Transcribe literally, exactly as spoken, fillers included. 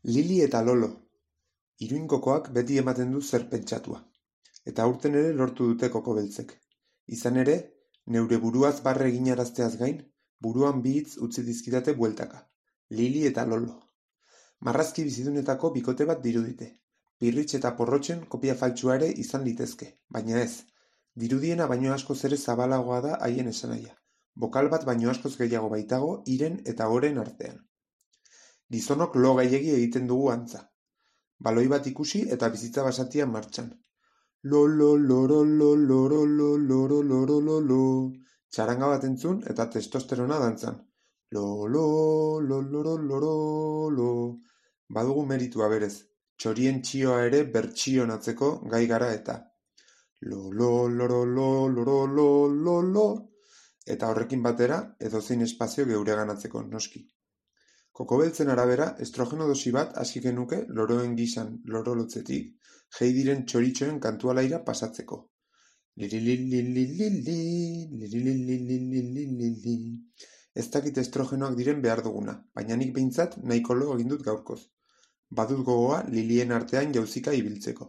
Lili eta Lolo. Iruinkokoak beti ematen du zer pentsatua. Eta aurten ere lortu dute koko beltzek. Izan ere, neure buruaz barre eginarazteaz gain, buruan bi hitz utzi dizkidate bueltaka. Lili eta Lolo. Marrazki bizidunetako bikote bat dirudite. Pirritx eta porrotxen kopia faltsua ere izan litezke, baina ez. Dirudiena baino askoz ere zabalagoa da haien esanahia. Bokal bat baino askoz gehiago baitago hiren eta oren artean. Gizonok lo gehiegi egiten dugu antza. Baloi bat ikusi eta bizitza basatia martxan. Lolo, loro, loro, loro, loro, loro, loro. Txaranga bat entzun eta testosterona dantzan. Lolo, loro, loro, loro. Badugu meritua berez. Txorien txioa ere bertsionatzeko gai gara eta. Lolo, loro, loro, loro, loro. Eta horrekin batera, edozein espazio geureganatzeko noski. Kokobeltzen arabera, estrogeno dosi bat hasi genuke loroen gisan lorolotzetik, jei diren txoritxoen kantualaira pasatzeko. Lilililililili, lilililililili. Ez dakit estrogenoak diren behar duguna, baina nik behintzat nahiko lo egin dut gaurkoz. Badut gogoa lilien artean jauzika ibiltzeko.